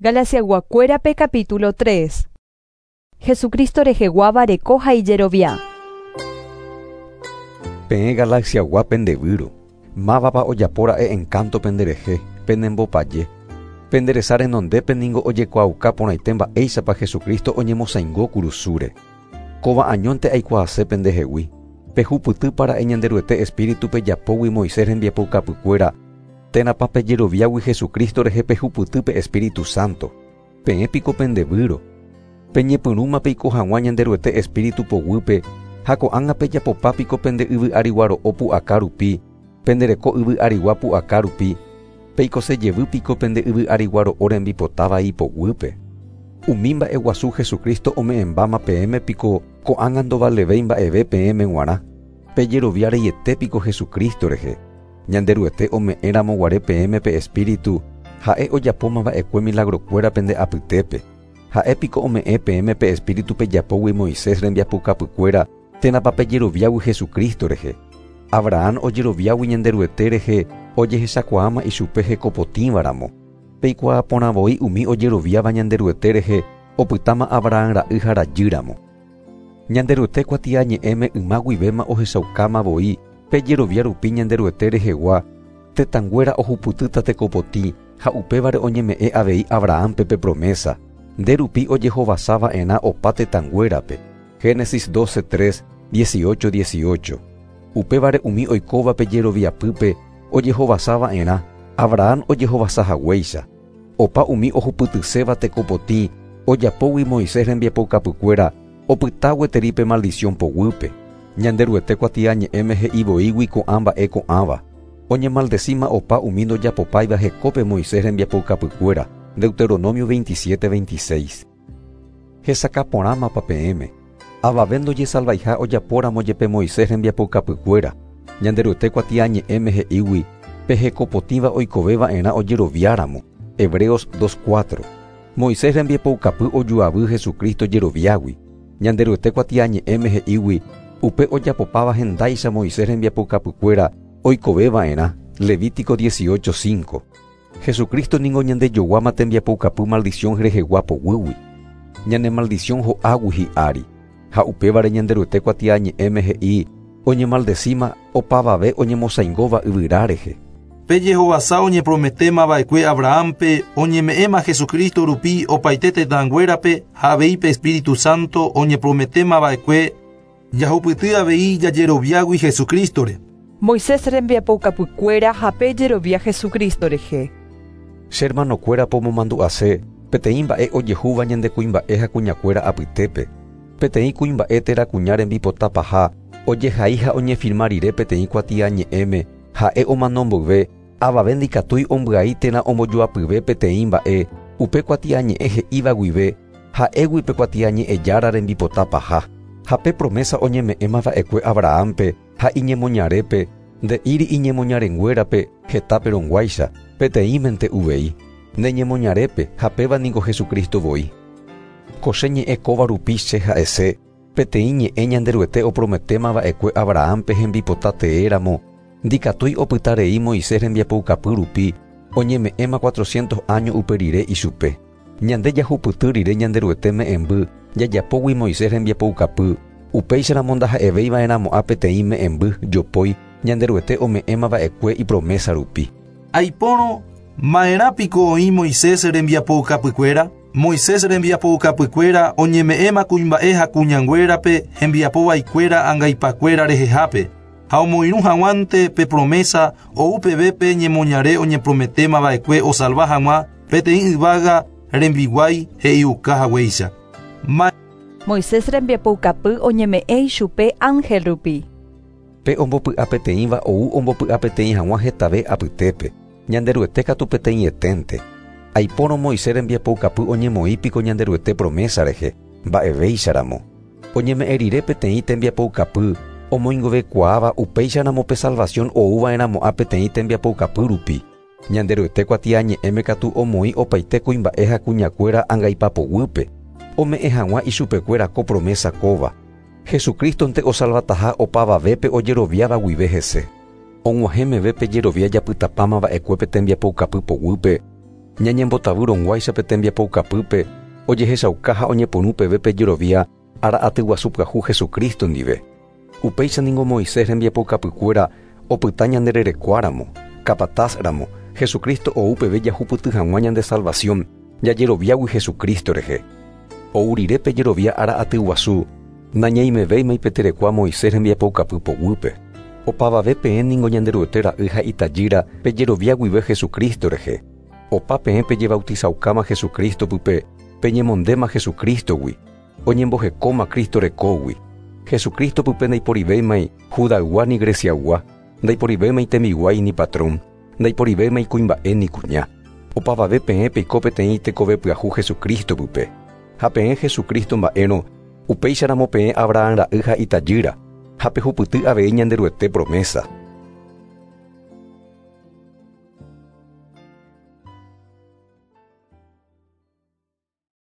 Galaciayguakuérape capítulo 3. Jesucristo reheguáva reko ha ijerovia. Peẽ Galaciagua pendevýro, mávapa ojapóra'e encanto penderehe, penembopaje. Pende resa renondépe ningo ojekuaauka porãite mba'éichapa Jesucristo oñemosãingo kurusúre. Kóva añónte aikuaase pendehegui, pehupytýpara'e Ñanderuete Espíritu pejapógui Moisés rembiapoukapykuéra, térãpa pejeroviágui Jesucristo rehe pehupyty pe Espíritu Santo. Peẽ piko pendevýro. Peñepyrũma peiko hag̃ua Ñanderuete Espíritu poguýpe ha ko'ág̃a pejapopa piko pende yvy arigua ro'o pu'aka rupi, pende reko yvy arigua pu'aka rupi, peikose jevy piko pende yvy arigua ro'o rembipota vai poguýpe. Umi mba'eguasu Jesucristo ome'ẽmbáma peẽme piko ko'ág̃a ndovalevéi mba'eve peẽme g̃uarã. Pejerovia reiete piko Jesucristo rehe. Ñanderuete ome'ẽramo guare peẽme pe Espíritu, ha'e ojapóma va'ekue milagrokuéra pende apytépe. Ha'e piko ome'ẽ peẽme pe Espíritu pejapógui Moisés rembiapokapykuéra térãpa pejeroviágui Jesucristo rehe. Abraham ojeroviágui Ñanderuete rehe ojehechakuaáma ichupe hekopotĩvaramo. Peikuaa porã voi umi ojeroviáva Ñanderuete rehe opytáma Abraham ra'y ha rajýramo. Ñanderuete kuatiañe'ẽme yma guivéma ohechaukáma voi pejerovia rupi Ñanderuete rehegua, tetãnguéra ohupytýta tekopotĩ ha upévare oñeme'ẽ avei Abrahampe pe promesa, nde rupi ojehovasa va'erã opa tetãnguérape. Génesis 12:3, 18:18. Upévare umi oikóva pejeroviapýpe ojehovasa va'erã, Abraham ojehovasa haguéicha. Opa umi ohupytyséva tekopotĩ ojapógui Moisés rembiapoukapykuéra opyta gueteri pe maldición poguýpe. Ñanderuete kuatiañe'ẽme he'i voígui ko'ã mba'e ko'ãva. Oñemaldecíma opa umi ndojapopáiva hekópe Moisés rembiapoukapykuéra. Deuteronomio 27:26. Hesakã porãmapa peẽme. Avave ndojesalvaiha ojapóramo jepe Moisés rembiapoukapykuéra. Ñanderuete kuatiañe'ẽme he'ígui pe hekopotĩva oikove va'erã ojeroviáramo. Hebreos 2:4. Moisés rembiapoukapy ojuavy Jesucristo jeroviágui. Ñanderuete kuatiañe'ẽme he'ígui upe ojapopáva hendáicha Moisés rembiapoukapykuéra oikove va'erã. Levítico 18:5. Jesucristo ningo ñandejoguáma tembiapoukapy maldición rehegua poguýgui. Ñane maldición ho'águi hi'ári. Ha upévare Ñanderuete kuatiañe'ẽme he'i oñemaldecíma opavave oñemosãingóva yvyra rehe. Pe jehovasa oñeprometéma va'ekue Abrahampe oñeme'ẽma Jesucristo rupi opaite tetãnguérape ha avei pe Espíritu Santo oñeprometéma va'ekue jahupyty avei jajeroviágui Jesucristore. Moisés rembiapoukapykuéra ha pejerovia Jesucristo rehe. Che hermanokuéra pomomandu'ase peteĩ mba'e ojehúva ñande kuimba'e ha kuñakuéra apytépe. Peteĩ kuimba'e térã kuña rembipota paha ojehai ha oñefirma rire peteĩ kuatiañe'ẽme ha'e omano mboyve avave ndikatúi ombyai térã ombojoapyve peteĩ mba'e upe kuatiañe'ẽ he'íva guive ha'égui pe kuatiañe'ẽjára rembipota paha. Ha pe promesa oñeme'ẽma va'ekue Abrahampe ha iñemoñarépe nde'íri iñemoñarenguérape hetápe rõguáicha peteĩmente uvei. Neñemoñarépe ha péva niko Jesucristo voi. Ko che ñe'ẽ kóva rupi che ha'ese peteĩ ñe'ẽ Ñanderuete oprometéma va'ekue Abrahampe hembipota teéramo ndikatúi opyta rei Moisés rembiapoukapy rupi oñeme'ẽma 400 año upe rire ichupe. Ñande jahupyty rire Ñanderuete me'ẽmby jajapógui Moisés rembiapoukapy upéicharamo ndaha'evéiva'erãmo'ã peteĩ me'ẽmby jopói Ñanderuete ome'ẽma va'ekue ipromesa rupi. Aipórõ ma'erã piko oĩ Moisés rembiapoukapykuéra? Moisés rembiapoukapykuéra oñeme'ẽma kuimba'e ha kuñanguérape hembiapovaikuéra angaipakuéra rehehápe. Ha omoirũ hag̃uánte pe promesa ou peve pe ñemoñare oñeprometéma va'ekue osalva hag̃ua peteĩ yvága rembiguái he'iuka haguéicha. Moisés rembiapoukapy oñeme'ẽ ichupe ángel rupi. Pe ombopy'a peteĩva ou ombopy'a peteĩ hag̃ua hetave apytépe. Ñanderuete katu peteĩeténte. Aipórõ Moisés rembiapoukapy oñemoĩ piko Ñanderuete promesa rehe, mba'evéicharamo. Oñeme'ẽ rire peteĩ tembiapoukapy omoingovekuaáva upéicharamo pe salvación ouva'erãmo'ã peteĩ tembiapoukapy rupi. Ñanderuete kuatiañe'ẽme katu omoĩ opaite kuimba'e ha kuñakuéra angaipapoguýpe. Ome'ẽ hag̃ua ichupekuéra ko promesa kóva. Jesucristonte osalvataha opavavépe ojeroviáva guive hese. Og̃uahẽ meve pejerovia japytapáma va'ekue pe tembiapoukapy poguýpe. Ñañembotavýrõguáicha pe tembiapoukapýpe ojehechauka ha oñepyrũ peve pe jerovia ára aty guasu pyahu Jesucristo ndive. Upéicha ningo Moisés rembiapoukapykuéra opyta ñande rerekuáramo, capataz-ramo, Jesucristo ou peve jahupyty hag̃ua ñande salvación jajeroviágui Jesucristo rehe. Ou rire pe jerovia ára aty guasu, nañaimevéima pe terekua Moisés rembiapoukapy poguýpe. Opavave peẽ ningo Ñanderuete ra'y ha itajýra pejerovia guive Jesucristo rehe. Opa peẽ pejebautizaukáma Jesucristo pype, peñemondéma Jesucristo-gui, oñembohekóma Cristo rekógui. Jesucristo pype ndaiporivéimai Judaygua ni Greciaygua, ndaiporivéimai tembiguái ni patrón, ndaiporivéimai kuimba'e ni kuña. Opavave peẽ peiko peteĩ tekove pyahu Jesucristo pype. Ha peẽ Jesucristo mba'érõ, upéicharamo peẽ Abraham ra'y ha itajýra, ha pehupyty avei Ñanderuete promesa.